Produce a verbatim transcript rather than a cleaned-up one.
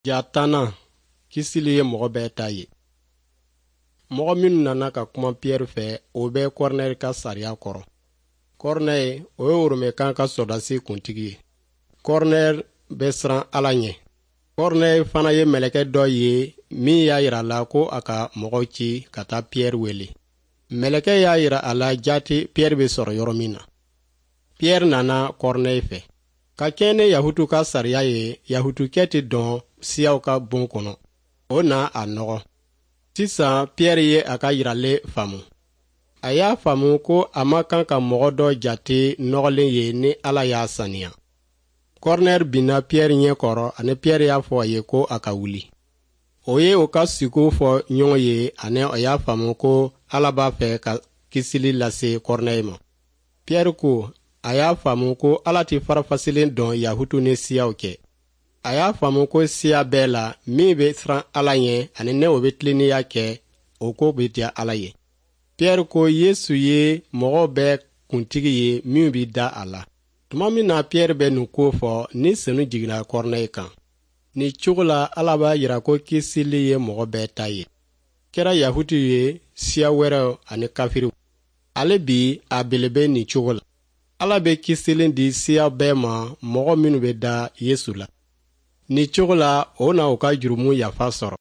Ja tannan, kisili ye mɔgɔ bɛɛ ta ye. Mɔgɔ minnu nana ka kuma Piyɛri fɛ, o bɛ Kɔrnɛye ka sariya kɔrɔ. Kɔrnɛye, o ye Oromɛkan ka sɔrɔdasi kuntigi ye. Kɔrnɛye bɛ siran Ala ɲɛ. Kɔrnɛye fana ye mɛlɛkɛ dɔ ye min y'a yira a la ko a ka mɔgɔw ci ka taa Piyɛri wele. Mɛlɛkɛ y'a yira a la jaati Piyɛri bɛ sɔrɔ yɔrɔ min na. Piyɛri nana Kɔrnɛye fɛ. Ka kɛɲɛ ni Yahutu ka sariya ye, Yahutukɛ tɛ dɔn siyaw ka bon kɔnɔ. O na a nɔgɔ. Sisan Piyɛri ye a ka yiralen faamu. A y'a faamu ko a man kan ka mɔgɔ dɔ jate nɔgɔlen ye ni Ala y'a saniya. Kɔrnɛri binna Piyɛri ɲɛ kɔrɔ ani Piyɛri y'a fɔ a ye ko a ka wuli. O ye o ka siko fɔ ɲɔgɔn ye ani a y'a faamu ko Ala b'a fɛ ka kisili lase Kɔrnɛye ma. Piyɛri ko a y'a faamu ko Ala tɛ farafasilen dɔn Yahutu ni siyaw cɛ. A y'a faamu ko siya bɛɛ la min bɛ siran Ala ɲɛ ani ne o bɛ tilennenya kɛ, o ko bɛ diya Ala ye. Piyɛri ko Yesu ye mɔgɔw bɛɛ kuntigi ye min bɛ da a la. Tuma min na Piyɛri bɛ nin ko fɔ, ni senu jiginna Kɔrnɛye kan. Nin cogo la Ala b'a jira ko kisili ye mɔgɔ bɛɛ ta ye. Kɛra Yahutu ye, siya wɛrɛw ani kafiriw. Ale bi a belebe nin cogo la. Ala bɛ kisili di siya bɛɛ ma mɔgɔ minnu bɛ da Yesu la. Nin cogo la o na u ka jurumu yafa sɔrɔ.